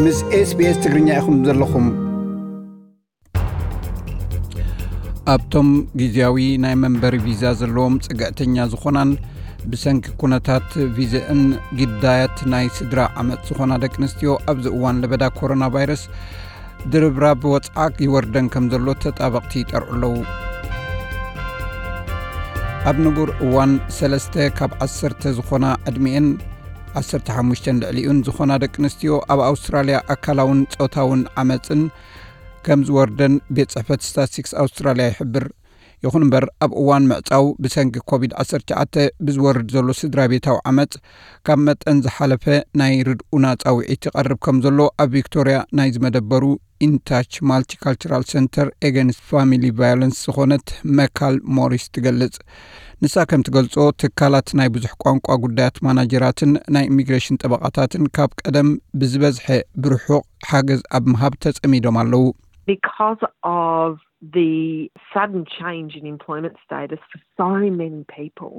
ምስ SBS ትግርኛ ኢኹም ዘለኹም። ኣብቶም ግዜያዊ ናይ መንበሪ ቪዛ ዘለዎም ጽግዕተኛ ዝኾናን ብሰንኪ ኩነታት ቪዛእን ግዳያት ናይ ስድራ ዓመጽ ዝኾና ደቂ ኣንስትዮ ኣብዚ እዋን ለበዳ ኮሮና ቫይረስ ድርብራብ ወጽዓ ይወርደን ከም ዘሎ ተጣበቕቲ ይጠርዑ ኣለዉ። ኣብ ንቡር እዋን ሰለስተ ካብ ዓሰርተ ዝኾና ዕድሚኤን ዓሰርተ ሓሙሽተን ልዕሊኡን ዝኾና ደቂ ኣንስትዮ ኣብ ኣውስትራልያ ኣካላውን ጾታውን ዓመጽን ከም ዝወርደን ቤት ጽሕፈት ስታትስቲክስ ኣውስትራልያ ይሕብር። ይኹን እምበር ኣብ እዋን ምዕጻው ብሰንኪ ኮቪድ ዓሰርተ ትሽዓተ ብዝወርድ ዘሎ ስድራ ቤታዊ ዓመጽ ካብ መጠን ዝሓለፈ ናይ ርድኡና ጻውዒት ይቐርብ ከም ዘሎ ኣብ ቪክቶርያ ናይ ዝመደበሩ ኢንታች ማልቲካልቸራል ሰንተር ኤገንስት ፋሚሊ ቫዮለንስ ዝኾነት መካል ሞሪስ ትገልጽ። ንሳ ከም ትገልጾ ትካላት ናይ ብዙሕ ቋንቋ ጉዳያት ማናጀራትን ናይ ኢሚግሬሽን ጠበቓታትን ካብ ቀደም ብዝበዝሐ ብርሑቕ ሓገዝ ኣብ ምሃብ ተጸሚዶም ኣለዉ። Because of the sudden change in employment status for so many people,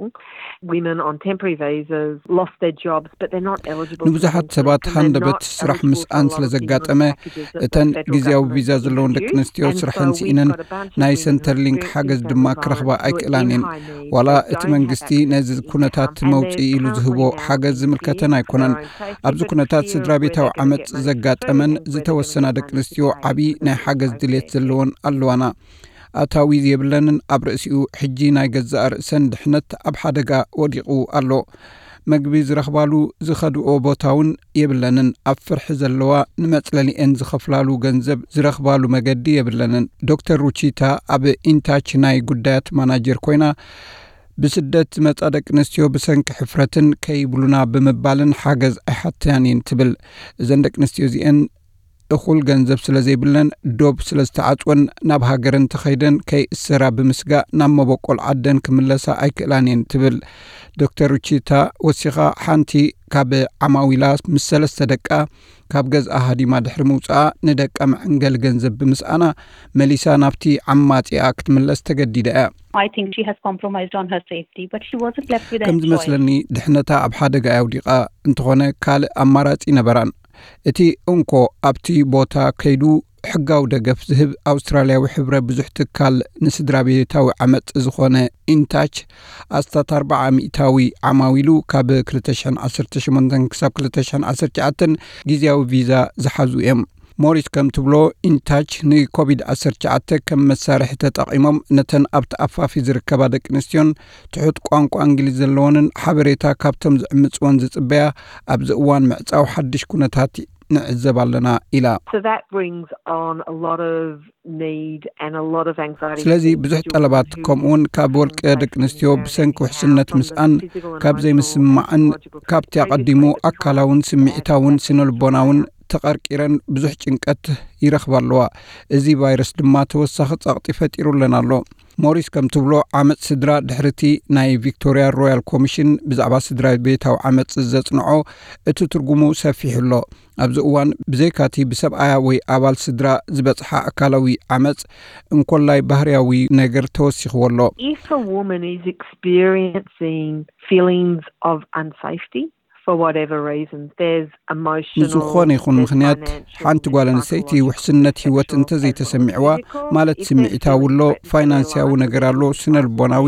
women on temporary visas lost their jobs, but they're not eligible for ንብዙሓት visa, ሰባት and they're ሃንደበት not ስራሕ eligible ምስኣን for a lot ስለ of stimulus ዘጋጠመ packages that እተን the federal ግዜያዊ government ቪዛ ዘለውን ደቂ introduced. ኣንስትዮ And ስራሐን so we've ስኢነን got a bunch of ናይ women who are ሰንተርሊንክ experiencing ሓገዝ family ድማ violence ክረኽባ who are in ኣይክእላን እየን። high need ዋላ that እቲ don't have መንግስቲ access ነዚ to ኩነታት income, and መውፅኢ they're ኢሉ ዝህቦ currently out ሓገዝ in their ዝምልከተን safety ኣይኮነን። for their own safety, ኣብዚ but for ኩነታት their own ስድራ ቤታዊ personal ዓመፅ benefit. ዘጋጠመን ዝተወሰና ደቂ ኣንስትዮ ዓብዪ ናይ ሓገዝ ድሌት ዘለወን ኣለዋና። ኣታዊ የብለንን፣ ኣብ ርእሲኡ ሕጂ ናይ ገዛእ ርእሰን ድሕነት ኣብ ሓደጋ ወዲቑ ኣሎ። መግቢ ዝረኽባሉ ዝኸድኦ ቦታ እውን የብለንን። ኣብ ፍርሒ ዘለዋ፣ ንመጽለሊኤን ዝኸፍላሉ ገንዘብ ዝረኽባሉ መገዲ የብለንን። ዶክተር ሩቺታ ኣብ ኢንታች ናይ ጉዳያት ማናጀር ኮይና፣ ብስደት ዝመጻ ደቂ ኣንስትዮ ብሰንኪ ሕፍረትን ከይብሉና ብምባልን ሓገዝ ኣይሓተያን እየን ትብል። እዘን ደቂ ኣንስትዮ እዚኤን እኹል ገንዘብ ስለ ዘይብለን፣ ዶብ ስለ ዝተዓጽወን፣ ናብ ሃገረን ተኸይደን ከይእሰራ ብምስጋእ ናብ መበቆል ዓደን ክምለሳ ኣይክእላን እየን ትብል። ዶክተር ሩቺታ ወሲኻ፣ ሓንቲ ካብ ዓማዊላ ምስ ሰለስተ ደቃ ካብ ገዝኣ ሃዲማ ድሕሪ ምውፅኣ፣ ንደቃ መዐንገሊ ገንዘብ ብምስኣና መሊሳ ናብቲ ዓማፂኣ ክትምለስ ተገዲዳ እያ። I think she has compromised on her safety, but she wasn't left with a ከም choice. ዝመስለኒ ድሕነታ ኣብ ሓደጋ እያ ኣውዲቓ፣ እንተኾነ ካልእ ኣማራጺ ነበራን። እቲ እንኮ ኣብቲ ቦታ ከይዱ ሕጋዊ ደገፍ ዝህብ ኣውስትራልያዊ ሕብረ ብዙሕ ትካል ንስድራ ቤታዊ ዓመጽ ዝኾነ ኢንታች ኣስታት ኣርባዓ ሚእታዊ ዓማዊሉ ካብ ክልተ ሽሕን ዓሰርተ ሸሞንተን ክሳብ ክልተ ሽሕን ዓሰርተ ትሽዓተን ግዜያዊ ቪዛ ዝሓዙ እዮም። ሞሪስ ከም ትብሎ፣ ኢንታች ንኮቪድ ዓሰርተ ትሽዓተ ከም መሳርሒ ተጠቒሞም ነተን ኣብቲ ኣፋፊ ዝርከባ ደቂ ኣንስትዮን ትሑት ቋንቋ እንግሊዝ ዘለወንን ሓበሬታ ካብቶም ዝዕምጽወን ዝጽበያ ኣብዚ እዋን ምዕጻው ሓድሽ ኩነታት ንዕዘብ ኣለና ኢላ። So that brings on a lot of need and a lot of anxiety. ስለዚ ብዙሕ ጠለባት ከምኡውን ካብ ወልቀ ደቂ ኣንስትዮ ብሰንኪ ውሕስነት ምስኣን ካብ ዘይምስማዕን ካብቲ ኣቐዲሙ ኣካላውን ስምዒታውን ስነልቦናውን ተቐርቂረን ብዙሕ ጭንቀት ይረኽባ ኣለዋ። እዚ ቫይረስ ድማ ተወሳኺ ጸቕጢ ፈጢሩለን ኣሎ። ሞሪስ ከም ትብሎ፣ ዓመጽ ስድራ ድሕርቲ ናይ ቪክቶርያ ሮያል ኮሚሽን ብዛዕባ ስድራ ቤታዊ ዓመጽ ዘጽንዖ እቲ ትርጉሙ ሰፊሕ ኣሎ። ኣብዚ እዋን ብዘይካቲ ብሰብኣያ ወይ ኣባል ስድራ ዝበጽሓ ኣካላዊ ዓመጽ እንኮላይ ባህርያዊ ነገር ተወሲኽዎ ኣሎ። If a woman is experiencing feelings of unsafety for whatever reason, there's emotional, ንዝኾነ ይኹን ምኽንያት ሓንቲ ጓል ኣንስተይቲ ውሕስነት ህይወት እንተዘይተሰሚዕዋ፣ ማለት ስምዒታዊ ኣሎ፣ ፋይናንስያዊ ነገር ኣሎ፣ ስነ ልቦናዊ፣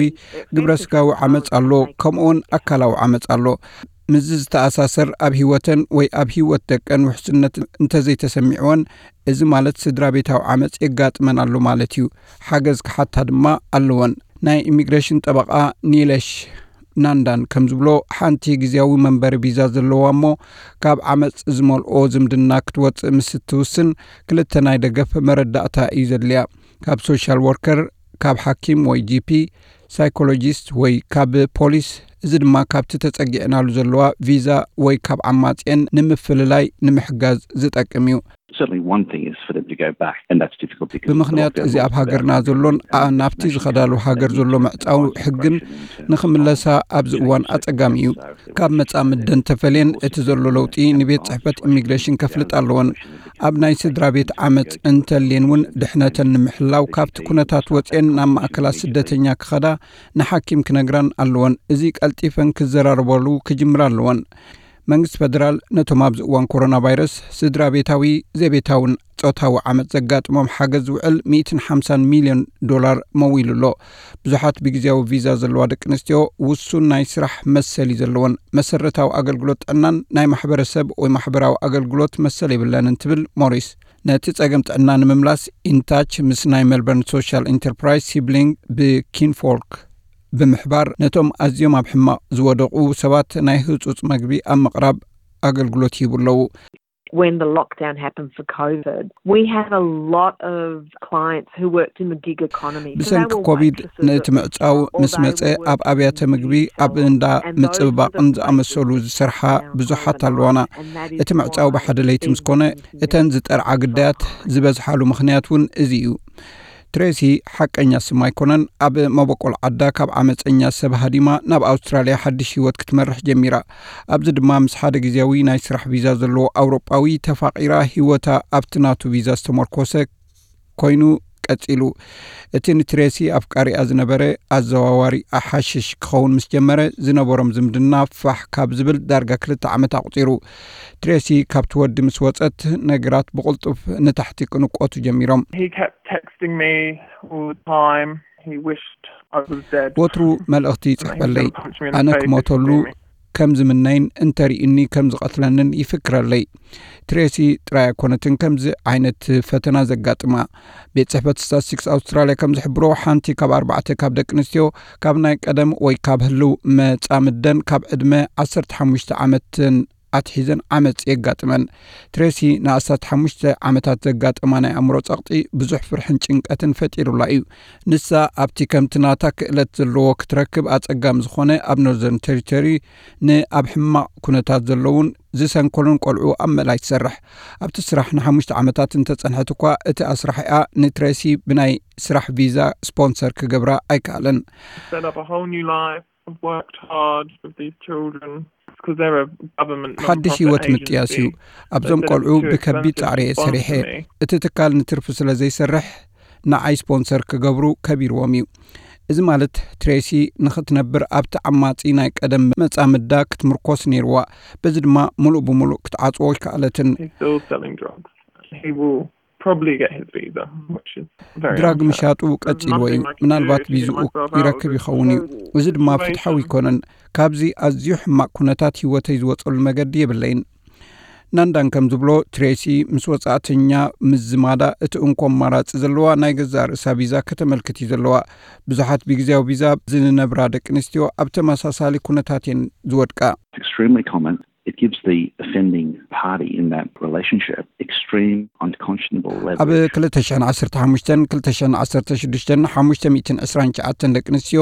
ግብረ ስጋዊ ዓመፅ ኣሎ፣ ከምኡውን ኣካላዊ ዓመፅ ኣሎ። ምስዚ ዝተኣሳሰር ኣብ ህይወተን ወይ ኣብ ህይወት ደቀን ውሕስነት እንተዘይተሰሚዕወን፣ እዚ ማለት ስድራ ቤታዊ ዓመፅ የጋጥመን ኣሎ ማለት እዩ። ሓገዝ ክሓታ ድማ ኣለወን። ናይ ኢሚግሬሽን ጠበቓ ኒለሽ ናንዳን ከም ዝብሎ፣ ሓንቲ ግዜያዊ መንበሪ ቪዛ ዘለዋ እሞ ካብ ዓመፅ ዝመልኦ ዝምድና ክትወፅእ ምስ እትውስን ክልተ ናይ ደገፍ መረዳእታ እዩ ዘድልያ። ካብ ሶሻል ወርከር፣ ካብ ሓኪም ወይ ጂፒ፣ ሳይኮሎጂስት ወይ ካብ ፖሊስ፣ እዚ ድማ ካብቲ ተጸጊዕናሉ ዘለዋ ቪዛ ወይ ካብ ዓማጽየን ንምፍልላይ ንምሕጋዝ ዝጠቅም እዩ። Certainly one thing is for them to go back, and that's difficult because ብምኽንያት እዚ ኣብ ሃገርና ዘሎን ኣ- ናብቲ ዝኸዳሉ ሃገር ዘሎ ምዕጻው ሕግን ንኽምለሳ ኣብዚ እዋን ኣጸጋሚ እዩ። ካብ መጻምደን ተፈልየን እቲ ዘሎ ለውጢ ንቤት ጽሕፈት ኢሚግሬሽን ከፍልጥ ኣለወን። ኣብ ናይ ስድራ ቤት ዓመጽ እንተልየን እውን ድሕነተን ንምሕላው ካብቲ ኩነታት ወጽየን ናብ ማእከላት ስደተኛ ክኸዳ ንሓኪም ክነግራን ኣለወን። እዚ ቀልጢፈን ክዘራረባሉ ክጅምራ ኣለወን። መንግስቲ ፈደራል ነቶም ኣብዚ እዋን ኮሮና ቫይረስ ስድራ ቤታዊ፣ ዘይቤታውን ጾታዊ ዓመጽ ዘጋጥሞም ሓገዝ ዝውዕል ሚእትን ሓምሳን ሚልዮን ዶላር መዊሉ ኣሎ። ብዙሓት ብግዜያዊ ቪዛ ዘለዋ ደቂ ኣንስትዮ ውሱን ናይ ስራሕ መሰል እዩ ዘለወን። መሰረታዊ ኣገልግሎት ጥዕናን ናይ ማሕበረሰብ ወይ ማሕበራዊ ኣገልግሎት መሰል የብለንን ትብል ሞሪስ። ነቲ ጸገም ጥዕና ንምምላስ ኢንታች ምስ ናይ ሜልበርን ሶሻል ኢንተርፕራይዝ ሲብሊንግ ብኪንፎልክ ብምሕባር ነቶም ኣዝዮም ኣብ ሕማቕ ዝወደቑ ሰባት ናይ ህጹጽ መግቢ ኣብ ምቕራብ ኣገልግሎት ይህቡ ኣለዉ። When the lockdown happened for COVID, we had a lot of clients who worked in the gig economy. ብሰንኪ ኮቪድ ነቲ ምዕጻው ምስ መጸ ኣብ ኣብያተ ምግቢ ኣብ እንዳ ምጽብባቕን ዝኣመሰሉ ዝሰርሓ ብዙሓት ኣለዋና። እቲ ምዕጻው ብሓደ ለይቲ ምስ ኮነ እተን ዝጠርዓ ግዳያት ዝበዝሓሉ ምኽንያት እውን እዚ እዩ። ትሬሲ ሓቀኛ ስም ኣይኮነን። ኣብ መበቆል ዓዳ ካብ ዓመፀኛ ሰብ ሃዲማ ናብ ኣውስትራልያ ሓድሽ ህይወት ክትመርሕ ጀሚራ። ኣብዚ ድማ ምስ ሓደ ግዜያዊ ናይ ስራሕ ቪዛ ዘለዎ ኣውሮጳዊ ተፋቒራ ህይወታ ኣብቲ ናቱ ቪዛ ዝተመርኮሰ ኮይኑ ቀጺሉ። እቲ ንትሬሲ ኣፍቃሪኣ ዝነበረ ኣዘዋዋሪ ሓሽሽ ክኸውን ምስ ጀመረ ዝነበሮም ዝምድና ፋሕ ካብ ዝብል ዳርጋ ክልተ ዓመት ኣቑጺሩ። ትሬሲ ካብቲ ወዲ ምስ ወጸት ነገራት ብቕልጡፍ ንታሕቲ ክንቆቱ ጀሚሮም። He kept texting me all the time. He wished I was dead. ወትሩ መልእኽቲ ይጽሕፈለይ። ኣነ ክሞተሉ ከም ዝምነይን እንተሪእኒ ከም ዝቐትለንን ይፍክረለይ። ትሬሲ ጥራይ ኣይኮነትን ከምዚ ዓይነት ፈተና ዘጋጥማ። ቤት ጽሕፈት ስታትስቲክስ ኣውስትራልያ ከም ዝሕብሮ ሓንቲ ካብ ኣርባዕተ ካብ ደቂ ኣንስትዮ ካብ ናይ ቀደም ወይ ካብ ህልው መጻምደን ካብ ዕድመ ዓሰርተ ሓሙሽተ ዓመትን ኣትሒዘን ዓመጽ የጋጥመን። ትሬሲ ንኣስታት ሓሙሽተ ዓመታት ዘጋጠማ ናይ ኣእምሮ ጸቕጢ ብዙሕ ፍርሕን ጭንቀትን ፈጢሩላ እዩ። ንሳ ኣብቲ ከምቲ ናታ ክእለት ዘለዎ ክትረክብ ኣጸጋሚ ዝኾነ ኣብ ኖርዘርን ቴሪቶሪ ንኣብ ሕማቕ ኩነታት ዘለውን ዝሰንከሉን ቆልዑ ኣብ ምእላይ ትሰርሕ። ኣብቲ ስራሕ ንሓሙሽተ ዓመታት እንተጸንሐት እኳ እቲ ኣስራሒኣ ንትሬሲ ብናይ ስራሕ ቪዛ ስፖንሰር ክገብራ ኣይከኣለን። Set up a whole new life. I've worked hard with these children. It's 'cause they're a government ሓድሽ non-profit ህይወት ምጥያስ እዩ። agency. ኣብዞም ቆልዑ ብከቢድ ጻዕሪ እየ ሰሪሐ። እቲ ትካል ንትርፊ ስለ ዘይሰርሕ ንዓይ ስፖንሰር ክገብሩ ከቢርዎም እዩ። እዚ ማለት ትሬሲ ንኽትነብር ኣብቲ ዓማጺ ናይ ቀደም መጻምዳ ክትምርኮስ ነይርዋ። በዚ ድማ ምሉእ ብምሉእ ክትዓጽዎ ኣይከኣለትን። He's still selling drugs. He will probably get his visa, which is very ድራግ unfair. ምሻጡ ቀጺልዎ እዩ። ምናልባት ቪዝኡ ይረክብ ይኸውን እዩ። እዚ ድማ ፍትሓዊ ኣይኮነን። ካብዚ ኣዝዩ ሕማቕ ኩነታት ህይወተይ ዝወጸሉ መገዲ የብለይን። ናንዳን ከም ዝብሎ ትሬሲ ምስ ወጻእተኛ ምዝማዳ እቲ እንኮ ኣማራጺ ዘለዋ ናይ ገዛእ ርእሳ ቪዛ ከተመልክት እዩ ዘለዋ። ብዙሓት ብግዜያዊ ቪዛ ዝነብራ ደቂ ኣንስትዮ ኣብ ተመሳሳሊ ኩነታት እየን ዝወድቃ። It's extremely common. It gives the offending party in that relationship extreme, unconscionable ኣብ leverage. ክልተ ሽሕን ዓሰርተ ሓሙሽተን ክልተ ሽሕን ዓሰርተ ሽዱሽተን ሓሙሽተ ሚእትን ዕስራን ትሽዓተን ደቂ ኣንስትዮ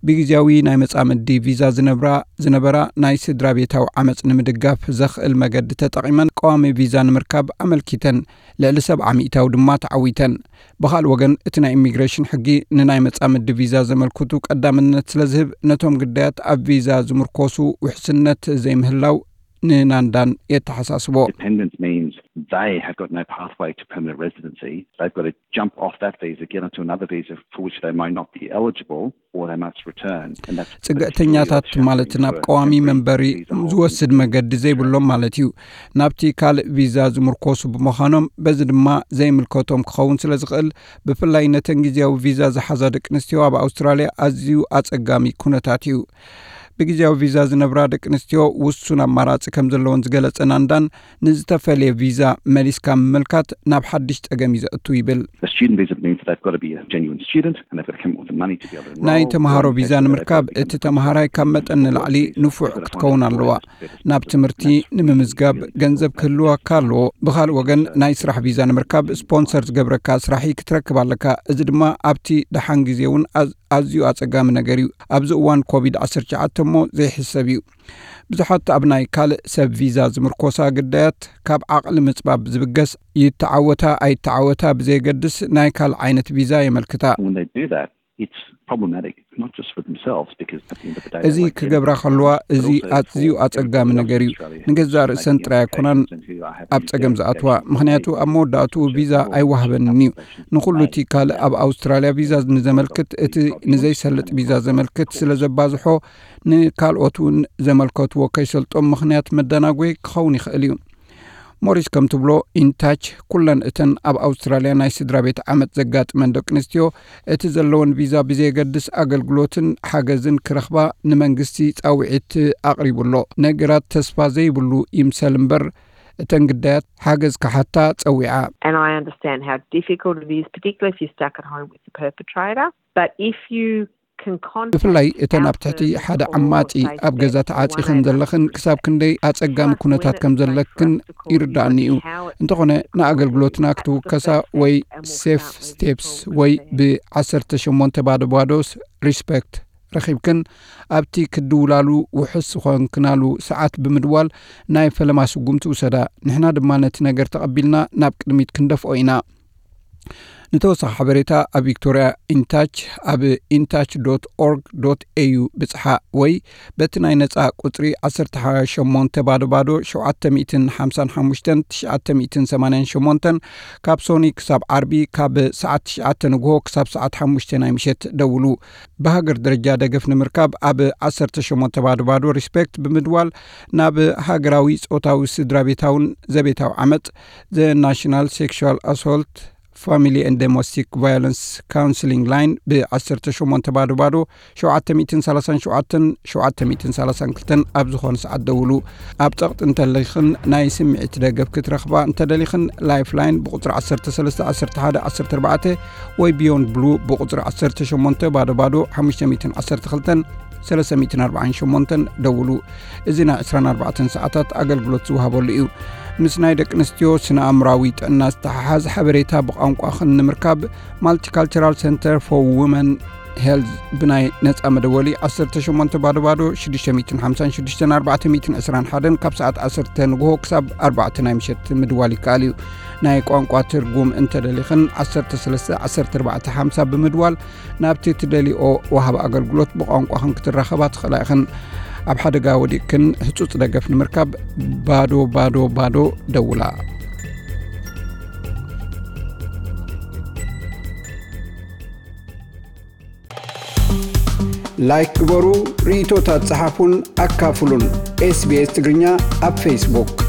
ብግዜያዊ ናይ መጻምዲ ቪዛ ዝነብራ ዝነበራ ናይ ስድራ ቤታዊ ዓመጽ ንምድጋፍ ዘኽእል መገዲ ተጠቒመን ቀዋሚ ቪዛ ንምርካብ ኣመልኪተን ልዕሊ ሰብዓ ሚእታዊ ድማ ተዓዊተን። ብኻልእ ወገን እቲ ናይ ኢሚግሬሽን ሕጊ ንናይ መጻምዲ ቪዛ ዘመልክቱ ቀዳምነት ስለ ዝህብ ነቶም ግዳያት ኣብ ቪዛ ዝምርኮሱ ውሕስነት ዘይምህላው ንናንዳን የተሓሳስቦ። Dependent means they have got no pathway to permanent residency. They've got to jump off that visa, get onto another visa for which they may not be eligible or they must return. And that's ጽግዕተኛታት ማለት ናብ ቀዋሚ መንበሪ ዝወስድ መገዲ ዘይብሎም ማለት እዩ። ናብቲ ካልእ ቪዛ ዝምርኮሱ ብምዃኖም በዚ ድማ ዘይምልከቶም ክኸውን ስለ ዝኽእል ብፍላይ ነተን ግዜያዊ ቪዛ ዝሓዛ ደቂ ኣንስትዮ ኣብ ኣውስትራልያ ኣዝዩ ኣጸጋሚ ኩነታት እዩ። ብግዜያዊ ቪዛ ዝነብራ ደቂ ኣንስትዮ ውሱን ኣማራጺ ከም ዘለወን ዝገለጸ ናንዳን ንዝተፈለየ ቪዛ መሊስካ ምምልካት ናብ ሓድሽ ጸገም እዩ ዘእቱ ይብል። A student visa means that they've got to be a genuine student and they've got to come up with the money to be able to enroll. ናይ ተምሃሮ ቪዛ ንምርካብ እቲ ተምሃራይ ካብ መጠን ንላዕሊ ንፉዕ ክትከውን ኣለዋ። ናብ ትምህርቲ ንምምዝጋብ ገንዘብ ክህልወካ ኣለዎ። ብኻልእ ወገን ናይ ስራሕ ቪዛ ንምርካብ ስፖንሰር ዝገብረካ ስራሒ ክትረክብ ኣለካ። እዚ ድማ ኣብቲ ደሓን ግዜ እውን ኣዝ- ኣዝዩ ኣጸጋሚ ነገር እዩ። ኣብዚ እዋን ኮቪድ ዓሰርተ ትሽዓተ እሞ ዘይሕሰብ እዩ። ብዙሓት ኣብ ናይ ካልእ ሰብ ቪዛ ዝምርኮሳ ግዳያት ካብ ዓቕሊ ምጽባብ ዝብገስ ይተዓወታ ኣይተዓወታ ብዘየገድስ ናይ ካልእ ዓይነት ቪዛ የመልክታ። When they do that, it's problematic, not just for themselves, because at the end of the day, እዚ ክገብራ ከለዋ፣ እዚ ኣዝዩ ኣጸጋሚ ነገር እዩ። ንገዛእ ርእሰን ጥራይ ኣይኮናን ኣብ ጸገም ዝኣትዋ። ምኽንያቱ ኣብ መወዳእትኡ ቪዛ ኣይወሃበንን እዩ። ንኹሉ እቲ ካልእ ኣብ ኣውስትራልያ ቪዛ ንዘመልክት፣ እቲ ንዘይሰልጥ ቪዛ ዘመልክት ስለ ዘባዝሖ፣ ንካልኦት እውን ዘመልከትዎ ከይሰልጦም ምኽንያት መደናጎይ ክኸውን ይኽእል እዩ። ሞሪስ ከም ትብሎ፣ ኢንታች ኩለን እተን ኣብ ኣውስትራልያ ናይ ስድራ ቤት ዓመጽ ዘጋጥመን ደቂ ኣንስትዮ፣ እቲ ዘለወን ቪዛ ብዘየገድስ ኣገልግሎትን ሓገዝን ክረኽባ ንመንግስቲ ጻውዒት ኣቕሪቡ ኣሎ። ነገራት ተስፋ ዘይብሉ ይምሰል እምበር፣ እተን ግዳያት ሓገዝ ክሓታ ጸዊዓ። And I understand how difficult it is, particularly if you're stuck at home with the perpetrator. But if you can contact ብፍላይ እተን ኣብ ትሕቲ ሓደ ዓማጺ ኣብ ገዛ ተዓጺኽን ዘለኽን ክሳብ ክንደይ ኣጸጋሚ ኩነታት ከም ዘለክን ይርዳእኒ እዩ። እንተኾነ ንኣገልግሎትና ክትውከሳ ወይ ሴፍ ስቴፕስ ወይ ብ18 ባዶ ባዶ ሪስፔክት ረኺብክን ኣብቲ ክድውላሉ ውሑስ ዝኾንክናሉ ሰዓት ብምድዋል ናይ ፈለማ ስጉምቲ ውሰዳ። ንሕና ድማ ነቲ ነገር ተቐቢልና ናብ ቅድሚት ክንደፍኦ ኢና። ንተወሳኺ ሓበሬታ ኣብ ቪክቶርያ ኢንታች ኣብ ኢንታች ዶት ኦርግ ዶት ኤዩ ብጽሓ ወይ በቲ ናይ ነጻ ቁጽሪ 18 ባዶ ባዶ 755 988 ካብ ሶኒ ክሳብ ዓርቢ ካብ ሰዓት ትሽዓተ ንግሆ ክሳብ ሰዓት ሓሙሽተ ናይ ምሸት ደውሉ። ብሃገር ደረጃ ደገፍ ንምርካብ ኣብ 18 ባዶ ባዶ ሪስፔክት ብምድዋል ናብ ሃገራዊ ጾታዊ ስድራ ቤታውን ዘቤታዊ ዓመጽ The National Sexual Assault Family and Domestic Violence Counseling Line ብ18 ባዶ ባዶ 737 732 ኣብ ዝኾነ ሰዓት ደውሉ። ኣብ ጸቕጢ እንተለኽን ናይ ስምዒት ደገፍ ክትረኽባ እንተደሊኽን ላይፍላይን ብቁጽሪ 13 11 14 ወይ ቢዮንድ ብሉ ብቁጽሪ 18 ባዶ ባዶ 512 348 ደውሉ። እዚ ናይ 24 ሰዓታት ኣገልግሎት ዝወሃበሉ እዩ። ምስ ናይ ደቂ ኣንስትዮ ስነ ኣእምራዊ ጥዕና ዝተሓሓዝ ሓበሬታ ብቋንቋኽን ንምርካብ ማልቲካልቸራል ሰንተር ፎር ውመን ሄልዝ ብናይ ነጻ መደወሊ 18 ባዶ ባዶ 656 421 ካብ ሰዓት 10 ንግሆ ክሳብ ኣርባዕተ ናይ ምሸት ምድዋል ይከኣል እዩ። ናይ ቋንቋ ትርጉም እንተደሊኽን 13 14 50 ብምድዋል ናብቲ ትደሊኦ ወሃቢ ኣገልግሎት ብቋንቋኽን ክትራኸባ ትኽእላ ኢኽን። ኣብ ሓደጋ ወዲቕክን ህጹጽ ደገፍ ንምርካብ ባዶ ባዶ ባዶ ደውላ። ላይክ ግበሩ፣ ርእይቶታት ጸሓፉን ኣካፍሉን። SBS ትግርኛ ኣብ ፌስቡክ።